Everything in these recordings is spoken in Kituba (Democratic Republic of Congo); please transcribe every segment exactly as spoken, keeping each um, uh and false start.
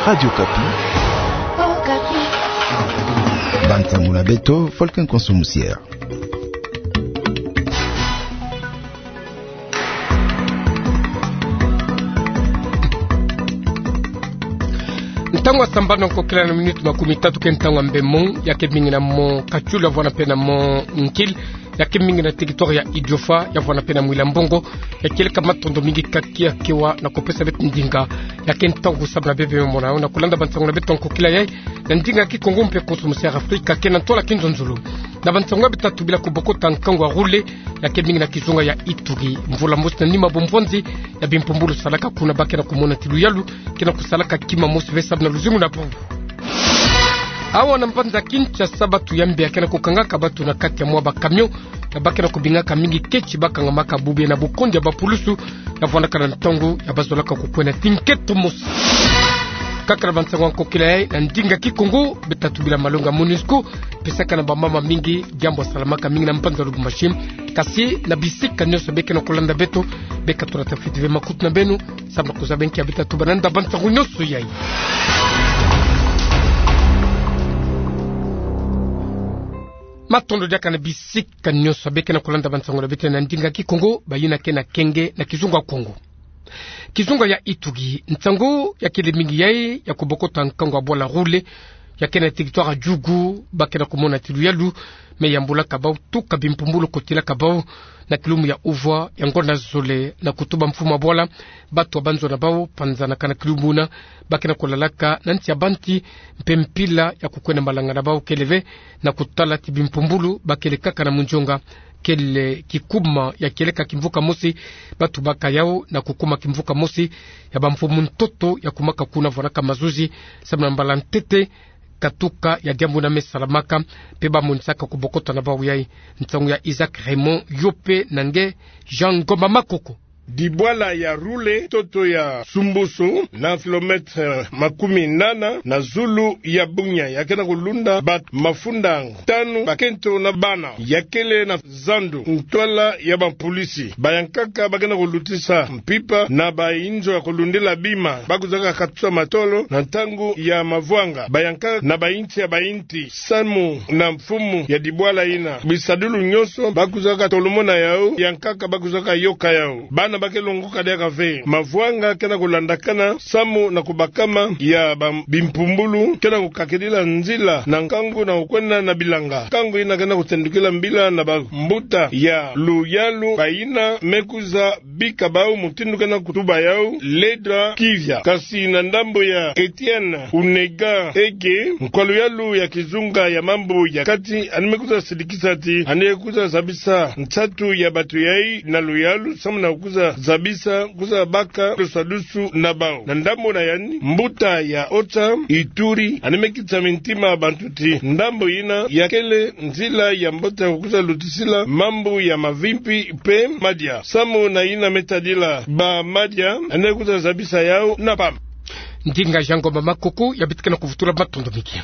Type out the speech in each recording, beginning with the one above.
Radio Okapi. Bansango na beto, Volcan Konso Musière. Ntangu ya sambanu ya nkokila na miniti makumi tatu ke ntangu ya mbemong, ya ke bingi na mo Katiolo, ya vwanda mpe na mo Nkil, ya ke mingi na territoire ya Idiofa, ya vwanda mpe na Mwila Mbongo, ya kieleka matondo mingi kaki ya kewa na kopesa beto ndinga, ya ke ntangu samu na bebe mona yo na kulanda bansango na beto ya nkokila yayi, na ndinga Kikongo mpe Konso Musière Afrika, ke na ntwala kinzonzolo. Na bansango ya beto tatu bila kubokota nkangu ya Roule, ya ke mingi na kizunga ya Ituri. Mvula mosi na nima bomvwanzi ya bimpumbulu salaka kuna, ba ke na kumona ti luyalu ke na kusalaka kima mosi ve samu na luzingu na bubu. Awa na mbanza Kinshasa, batu ya mbi ya ke na kukangaka batu na kati ya mwa ba camion, ya ba ke na kubingaka mingi keti, ba kangamaka bubu na bukondi ya bapulusu, ya vwandaka na ntangu ya ba zolaka kukwena ti nketo mosi. Kaka na bansango ya nkokila yayi na ndinga Kikongo, beto tatu bila malongi ya MONUSCO pesaka na bamama mingi diambu ya salamaka mingi na mbanza Lubumbashi. Kasi na bisika nyonso be ke na kulanda beto, beka tula tafiti ve makutu na beno, samu na kuzaba nki ya beta tuba na nda bansango nyonso yayi. Matondo diaka na bisika nyonso be ke na kulanda bansango na beto na ndinga Kikongo, bayina ke na kenge na kizunga Kongo. Kizunga ya Ituri, nsangu ya kele mingi yayi ya kubokota nkangu ya bwala Roule, ya ke na territoire ya Djugu, ba ke na kumona ti luyalu me yambulaka bau tuka bimpumbulu kotilaka bau na kilumbu ya uvwa ya ngonda zole, na kutuba mfumu ya bwala, batu ya banzo na bau panzanaka na kilumbu na, ba ke na kulalaka na nsi ya banti, mpe mpila ya kukwena malanga na bau kele ve, na kutala ti bimpumbulu ba kele kaka na munzonga, kele kikuma ya kieleka kimvuka mosi, batu baka yau na kukuma kimvuka mosi ya bamfumu ntoto ya kumaka kuna, vwanaka mazuzi samu na mbala ntete katuka ya diambu na me salamaka, mpe ba monisaka kubokota na bau yayi. Nsangu ya Isaac Raymond, yo mpe na nge Jean Ngoma Makoko. Dibwala ya Roule, ntoto ya Sumbusu, na kilomètre makumi nana na zulu ya Bunia, ya ke na kulunda batu mafunda tanu, bakento na bana. Ya kele na zandu ntwala ya bampusi. Bayankaka ba ke na kulutisa mpimpa na bainzo ya kulundila bima, ba kuzaka katusa matolo na ntangu ya mavwanga. Bayankaka na bainti ya bainti samu na mfumu ya dibwala yina. Bisadulu nyonso ba kuzaka tolomona yau, yankaka ba kuzaka yoka yau. Bana ba ke longoka diaka ve. Mavwanga ke na kulandakana samu na kubakama ya ba-, bimpumbulu ke na kukakidila nzila na nkangu na kukwenda na bilanga. Nkangu yina ke na kutendukila mbila na bambuta ya luyalu, bayina me kwiza bika bau mutindu ke na kutuba yau Ledra Kivya. Kasi na ndambu ya Etienne Unega Ege, nkwa luyalu ya kizunga ya mambu ya kati, yandi me kwiza sidikisa ti yandi kwiza zabisa nsatu ya batu yayi na luyalu samu na kwiza zabisa, kwiza baka lusadusu na bau. Na ndambu na yandi, mbuta ya Ota Ituri, yandi me kitisa mintima bantu ti ndambu yina ya kele nzila ya mbote ya kwiza lutisila mambu ya mavimpi mpe madia. Samu na yina me tadila bamadia, yandi kwiza zabisa yau na pamba. Ndinga Jean Ngoma Makoko ya bitika na kuvutula matondo mingi.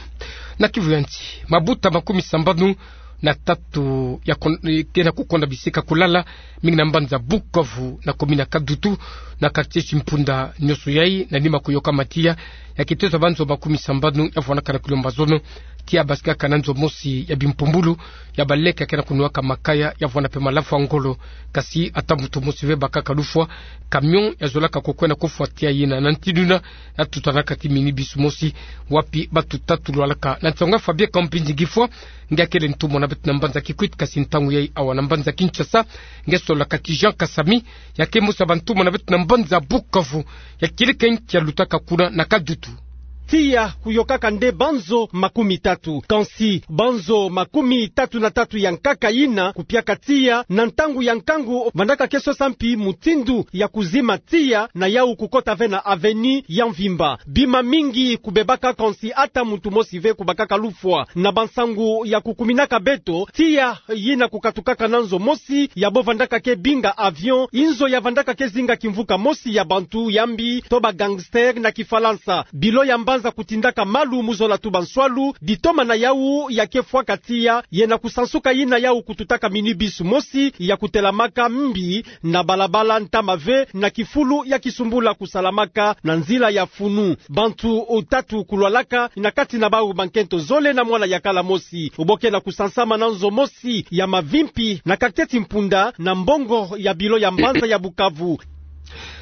Na Kivu ya nsi, mabuta makumi sambanu na tatu ya kon-, ke na kukonda bisika kulala, mingi na mbanza Bukavu, na commune ya Kadutu, na quartier Chimpunda, nyonso yayi na nima kuyoka matiya ya kitezo ya banzo makumi sambanu ya vwanaka na Kilomba Zono, tia basikaka na nzo mosi ya bimpumbulu ya baleke ya ke na kunuaka makaya, ya vwanda mpe malafu ya ngolo. Kasi ata muntu mosi ve bakaka lufwa. Camion ya zolaka kukwenda kufwa tia yina na ntindu yina, ya tutanaka ti minibus mosi, wapi batu tatu lwalaka. Na nsangu ya Fabien Kampindi Gifwa, nge akele ntumwa na beto na mbanza Kikwit, kasi ntangu yayi awa na mbanza Kinshasa, nge solaka ki Jean Kasami, ya ke mosi ya bantumwa na beto na mbanza Bukavu, ya kieleka nki ya lutaka kuna na Kadutu. Tia kuyokaka nde banzo makumi tatu. Kansi banzo makumi tatu na tatu ya nkaka yina kupiaka tia, na ntangu ya nkangu vandaka ke sosa mpi mutindu ya kuzima tia, na yau kukota ve na avenue ya mvimba. Bima mingi kubebaka, kansi ata muntu mosi ve kubakaka lufwa. Na bansangu ya kukuminaka beto, tia yina kukatukaka na nzo mosi ya bo vandaka ke binga avion, inzo ya vandaka ke zinga kimvuka mosi ya bantu ya mbi, to ba gangster na Kifalansa. Bilo ya mbanza za kutindaka malu mu zola tuba nswalu, ditoma na yawu ya ke fwaka tiya, ye na kusansuka yina yawu kututaka minibus mosi ya kutelamaka mbi na balabala ntama ve na kifulu ya kisumbula kusalamaka na nzila ya funu. Bantu tatu kulwalaka na kati na bawu bankento zole na mwana ya kala mosi. Bo ke na kusansama na nzo mosi ya mavimpi na quartier Timpunda na mbongo ya bilo ya mbanza ya Bukavu.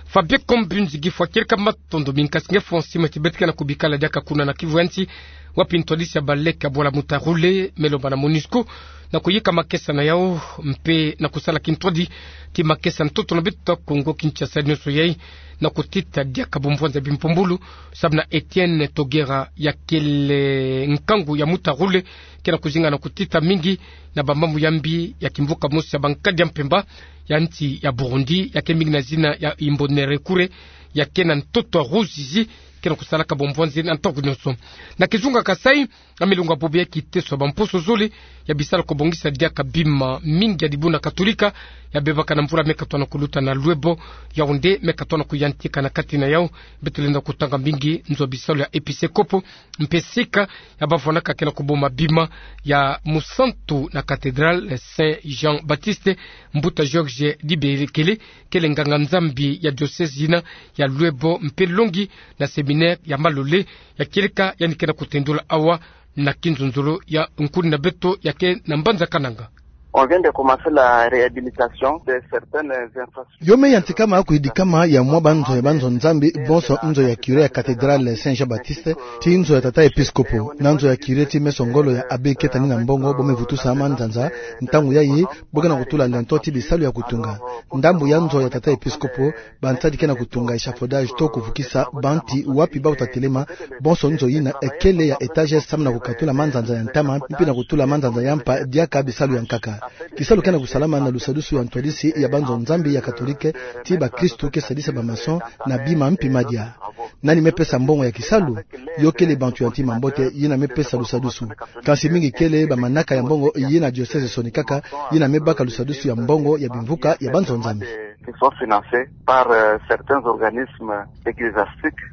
Fabien Kombunzi Gifwa, kieleka matondo mingi, kasi nge fwa nsima ti beto ke na kubikala diaka kuna na Kivu ya nsi, wapi ntwadisi ya baleke ya bwala Mutharule me lomba na MONUSCO na kuyika makesa na yawu mpe na kusala kintwadi ti makesa ntoto na beto Kongo Kinshasa nionso yai, na kutita diaka bumvwanza bimpumbulu, samu na Etienne Togera, ya kele nkangu ya Mutharule, ke na kuzinga na kutita mingi na bamambu ya mbi ya kimvuka mosi ya bankadi ya mpemba ya nsi ya Burundi, ya ke mingi na zina ya Imbonerakure, ya ke na ntoto ya Ruzizi, ke na kusalaka bumvwanzi na ntangu nionso. Na kizunga Kasai, na milongo ya bobo ya kiteso ya bamposo zole ya bisalu kubongisa diaka bima mingi ya dibundu ya Katolika ya bebaka na mvula me katoa na kuluta na Luebo, Yaoundé, me katoa na kuyantika na kati na yawu. Beto lenda kutanga mingi nzo ya bisalu ya episkopo mpe sika ya bavwanaka ke na kuboma bima ya musantu na cathédrale Saint Jean-Baptiste, Mbuta Georges Dibekele, kele nganga-Nzambi ya diocèse yina ya Luebo mpe longi na séminaire ya Malolé, ya kieleka yandi ke na kutendula awa na kinzonzolo ya nkuni na beto ya ke na mbanza Kananga. On vient de commencer la réhabilitation de certaines infrastructures. Yo me yantikama kuyidikama ya mwa banzo ya banzo-Nzambi, bonso nzo ya curé ya cathédrale Saint Jean-Baptiste, ti nzo ya tata episkopo, na nzo ya curé ti meso ngolo ya abbé Ketani na Mbongo, bo me vutusa manzanza. Ntangu yayi, bo ke na kutula lento ti bisalu ya kutunga. Ndambu ya nzo ya tata episkopo, bansadi ke na kutunga échafaudage to kuvukisa bantu wapi bawu ta telema, bonso nzo yina kele ya étage samu na kukatula manzanza ya ntama, mpe na kutula manzanza ya mpa diaka bisalu ya nkaka. Kisalu ke na kusalama na lusadusu ya ntwadisi ya banzo-Nzambi ya Katolike, ti bakristu ke sadisa ba maçon na bima mpi madia. Nani me pesa mbongo ya kisalu? Yo kele bantu ya ntima mbote yina me pesa lusadusu. Kansi mingi kele bamanaka ya mbongo yina diocèse sonikaka, yina me baka lusadusu ya mbongo ya bimvuka ya banzo-Nzambi. Qui sont financés par, euh, certains organismes ecclésiastiques.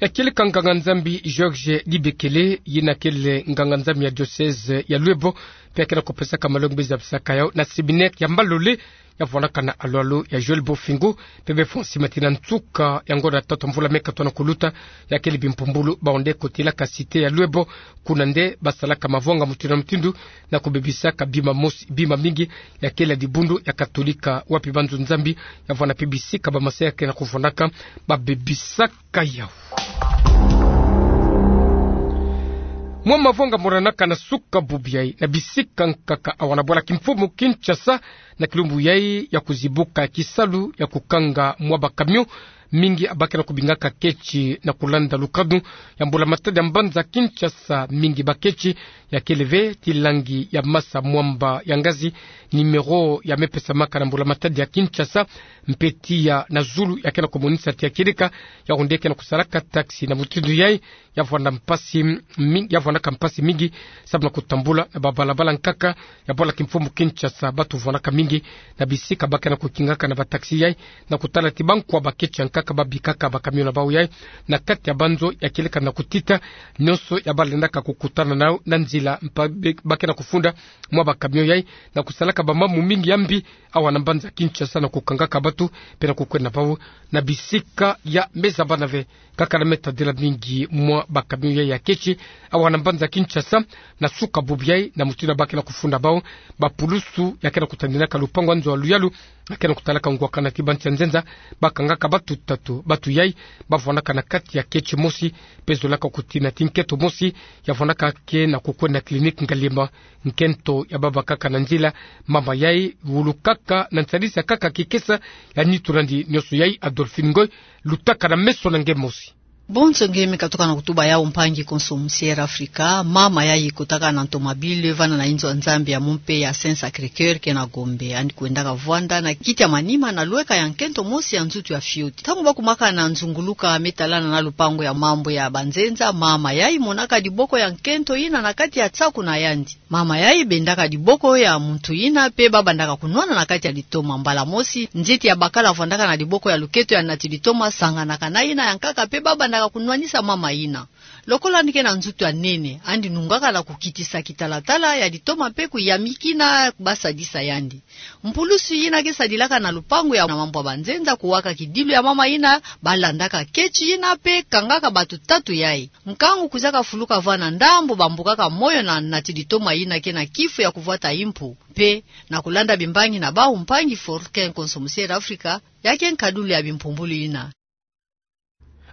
Ya kieleka nganga-Nzambi Georges Dibekele, yina kele nganga-Nzambi ya diocèse ya Luebo, mpe ya ke na kupesaka malongi be zabisaka yawu na séminaire ya Malolé, ya vwanaka na alu-alu ya Joël Bofingo, mpe be fwa nsima ti na nsuka ya ngonda tatu ya mvula me katoa na kuluta, ya kele bimpumbulu bawu nde kotilaka cité ya Luebo, kuna nde basalaka mavwanga mutindu na mutindu, na kubebisaka bima mosi, bima mingi ya kele ya dibundu ya Katolika, wapi banzo-Nzambi ya vwanda mpe bisika ba masaya ke na kuvwandaka, babebisaka yawu. Mwa mavwanga moranaka na suka bubu yayi na bisika nkaka awa na bwala kimfumu Kinshasa, na kilumbu yayi ya kuzibuka kisalu ya kukanga mwa ba camion mingi ba ke na kubingaka ketsi na kulanda lukanu ya mbula-matadi ya mbanza Kinshasa. Mingi ba ketsi ya kele ve ti langi ya masa mwamba ya ngazi, numéro ya me pesamaka na mbula-matadi ya Kinshasa, mpe tiya na zulu ya ke na kumonisa ti ya kieleka yawu nde ke na kusalaka taxi. Na mutindu yayi, ya vwanda mpasi mi-, ya vwandaka mpasi mingi samu na kutambula na babalabala nkaka ya bwala kimfumu Kinshasa. Bantu vwandaka mingi na bisika ba ke na kukingaka na ba taxi yayi, na kutala ti bankwa ba ketsi ya nkaka babikaka ba camion na bawu yayi na kati ya banzo ya kieleka na kutita nionso ya balendaka kukutana nawu na nzila, mpa be-, ba ke na kufunda mwa ba camion yayi, na kusalaka bamambu mingi ya mbi awa na mbanza Kinshasa, na kukangaka bantu mpe na kukwenda na bawu na bisika ya me zabana ve. Nkaka na me tadila mingi mwa ba camion yayi ya ketsi awa na mbanza Kinshasa na suka bubu yayi, na mutindu ba ke na kufunda bawu. Bapulusu ya ke na kutandinaka lupangu ya nzo ya luyalu, ya ke na kutalaka ngwakana ti bantu ya nzenza, bakangaka bantu tatu. Bantu yayi bavwandaka na kati ya ketsi mosi, mpe zolaka kutina ti nkento mosi ya vwandaka ke na kukwenda na clinique Ngaliema, nkento ya babakaka na nzila. Mama yayi wulukaka na nsadisi ya nkaka kikesa ya nitu nandi nionso yayi. Adolphine Ngoy, lutaka na meso na nge mosi. Bonso nge me katuka na kutuba yawu, mpangi konso mu Sierra Africa. Mama yayi kotaka na ntomabile vanda na inzo ya Nzambi ya mu mpe ya Saint Sacré-Cœur ke na Gombe. Yandi kwendaka vwanda na kiti ya manima na lweka ya nkento mosi ya nzutu ya fioti. Ntangu bakumaka na nzunguluka me talana na lupangu ya mambu ya banzenza, mama yayi monaka diboko ya nkento yina na kati ya nsaku na yandi. Mama yayi bendaka diboko ya muntu yina, mpe babandaka kunwana na kati ya litoma. Mbala mosi, nzete ya bakala vwandaka na diboko ya luketo ya nati litoma sanganaka na yina ya nkaka, mpe babanda ka kunwanisa mama yina. Lokola yandi ke na nzutu ya nene, yandi nungaka na kukitisa kitalatala ya litoma mpe kuyamikina basadisa yandi. Mpulusu yina ke sadilaka na lupangu ya mambwa banzenza kuwaka kidilu ya mama yina, balandaka ketch yina mpe kangaka bato tatu yayi. Nkangu kwizaka fuluka vwanda ndambu, bambukaka moyo na nati litoma yina ke na kifu ya kuvwata impu, mpe na kulanda bimbangi na bawu, mpangi Forkin Konso Musier Afrika, ya ke nkadulu ya bimpumbulu yina.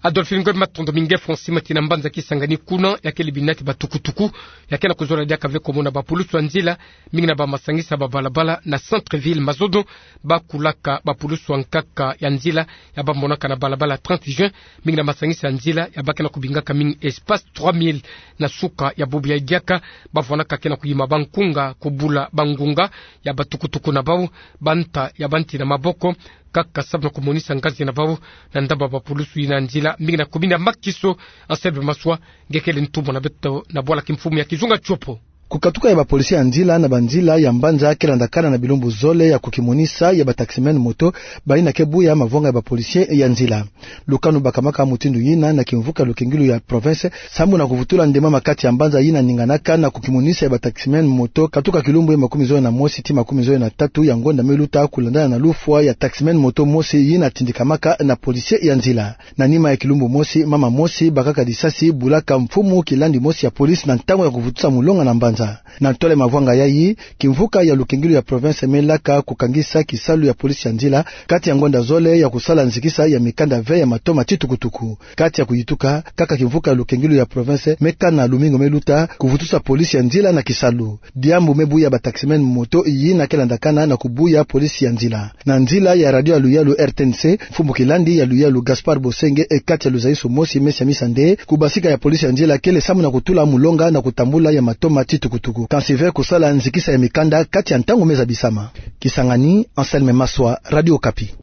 Adolphine Ngoy, matondo mingi. Francine Matina, mbanza Kisangani kuna, ya kele binati batukutuku ya ke na kuzola diaka ve ko mona bapulusu ya nzila, mingi na bamasangisa ya babalabala na centre-ville Mazono, bakulaka bapulusu ya nkaka ya nzila ya bamonaka na balabala trente juin, mingi na masangisa ya nzila ya ba ke na kubingaka mingi Espace trois mille. Na suka ya bubu yayi diaka, bavwanaka ke na kuyima bankunga, kubula bangunga ya batukutuku na bawu, banta ya banti na maboko, kaka samu na kumonisa ngazi na bawu na ndambu ya bapulusu yina ya nzila, mingi na commune ya Makiso. Anselme Maswa, nge kele ntumwa na beto na bwala kimfumu ya Kizunga Tiopo. Kukatuka ya bapolisi ya nzila na banzila ya mbanza ke landakana na bilumbu zole ya kukimonisa ya bataximen moto, bayina ke buya mavwanga ya bapolisi ya nzila. Lukanu bakamaka mutindu yina na kimvuka ya lukingilu ya province, samu na kuvutula ndemama kati ya mbanza yina ninganaka na kukimonisa ya bataximen moto, katuka kilumbu ya makumi zole na mosi tii makumi zole na tatu ya ngonda me luta, kulandana na lufwa ya taximen moto mosi yina tindikamaka na polisi ya nzila. Na nima ya kilumbu mosi, mama mosi bakaka disasi bulaka mfumu kilandi mosi ya polisi na ntangu ya kuvutusa mulonga na mbanza. Na ntwala ya mavwanga yayi, kimvuka ya lukingilu ya province me laka kukangisa kisalu ya polisi ya nzila kati ya ngonda zole ya kusala nzikisa ya mikanda ve ya matoma ti tukutuku. Kati ya kuyituka, kaka kimvuka ya lukingilu ya province me kana lumingu me luta kuvutusa polisi ya nzila na kisalu. Diambu me buya bataximen moto yina ke landakana na kubuya polisi ya nzila. Na nzila ya radio ya luyalu R T N C, mfumu kilandi ya luyalu Gaspard Bosenge, e kati ya luzayisu mosi me siamisa nde kubasika ya polisi ya nzila kele samu na kutula mulonga na kutambula ya matoma ti tukutuku, kansi ve kusala nzikisa ya mikanda kati ya ntangu me zabisama. Kisangani, Anselme Maswa, Radio Okapi.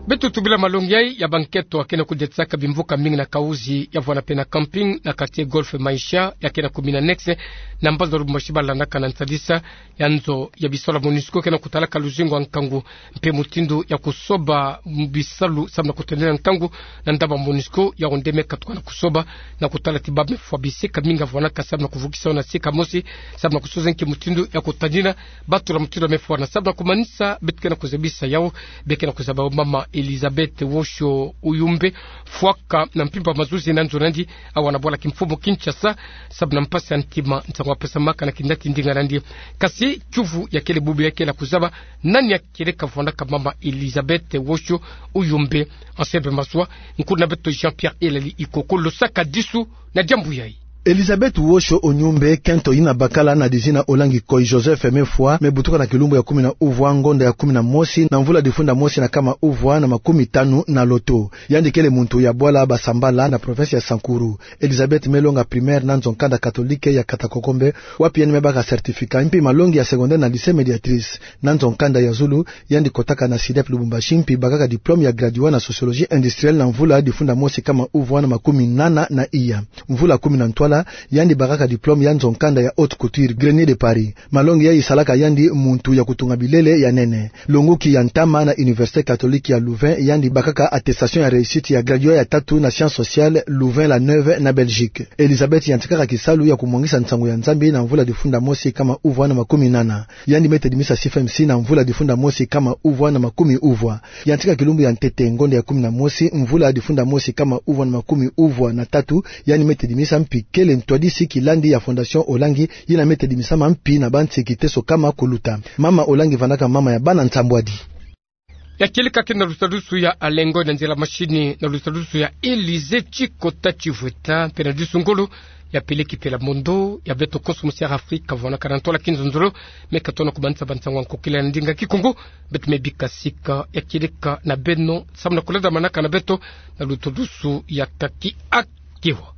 Beto tubila malongi yayi ya bankento ya ke na kudetisaka bimvuka mingi na Kahuzi, ya vwanda mpe na Camping, na quartier Golf Maïcha, ya ke na commune annexe, na mbanza Lubumbashi, balandaka na nsadisa ya nzo ya bisalu ya MONUSCO ke na kutalaka luzingu ya nkangu mpe mutindu ya kusoba bisalu samu na kutendela nkangu na ndambu ya MONUSCO, yawu nde me katuka na kusoba na kutala ti bamefwa bisika mingi ya vwanaka samu na kuvukisa yo na sika mosi, samu na kusosa nki mutindu ya kutadina bato na mutindu ya mefwa. Na samu na kumanisa beto ke na kuzabisa yawu, be ke na kuzaba yo mama Elizabeth Wosho Uyumbe, fwaka na mpimpa mazuzi na nzo na yandi awa na bwala kimfumu Kinshasa, samu na mpasi ya ntima nsangu ya pesamaka na kinati ndinga na yandi. Kasi kiuvu ya kele bubu ya ke na kuzaba: nani ya kieleka vwandaka mama Elizabeth Wosho Uyumbe? Anselme Maswa, nkulu na beto Jean-Pierre Elali Ikoko, lo sakadisu na diambu yayi. Elizabeth Wosho Uyumbe, kento yina bakala na dizina Olangi Koy Joseph, mefwa, mebutuka na kilumbu ya kumi na uvwa, ngonda ya kumi na mosi, na mvula difunda mosi na kama uvwa na makumi tanu na loto. Yandi kele muntu ya bwala Basambala, na province ya Sankuru. Elizabeth melonga primaire na nzo-nkanda catholique ya Katakokombe, wapi yandi mebaka certificat, mpi malongi ya secondaire na lycée Médiatrice. Na nzo-nkanda ya zulu, yandi kotaka na CEDEP Lubumbashi, mpi bakaka diplôme ya graduat na sociologie industrielle na mvula difunda mosi kama uvwa na makumi nana na iya. Mvula kumi na ntwala, yandi bakaka diplôme ya nzo-nkanda ya haute couture, Grenier de Paris. Malongi yayi salaka yandi muntu ya kutunga bilele ya nene. Longuki ya ntama na Université catholique ya Louvain, yandi bakaka attestation ya réussite ya graduat ya tatu na sciences sociales, Louvain-la-Neuve na Belgique. Elizabeth yantikaka kisalu ya kumwangisa nsangu ya Nzambi na mvula difunda mosi kama uvwa na makumi nana. Yandi metedimisa C F M C na mvula difunda mosi kama uvwa na makumi uvwa. Yantika kilumbu ya ntete, ngonda ya kumi na mosi, mvula difunda mosi kama uvwa na makumi uvwa na tatu, yandi metedimisa, mpi kele ntwadisi kilandi ya Fondation Olangi, yina metedimisama mpi na bansi kiteso kama kuluta. Mama Olangi vandaka mama ya bana nsambwadi. Ya kieleka ke na lusadusu ya Alengo na nzila machine, na lusadusu ya Elise Chikota Chivweta, mpe na disu ngolo ya Peleki Pela Mondo, ya beto Konso Musier Afrika, vwanaka na ntwala kinzonzolo, me katona kumanisa bansangu ya nkokila na ndinga Kikongo. Beto mebika sika ya kieleka na beno, samu na kulandamanaka na beto na lusadusu ya taki akewa.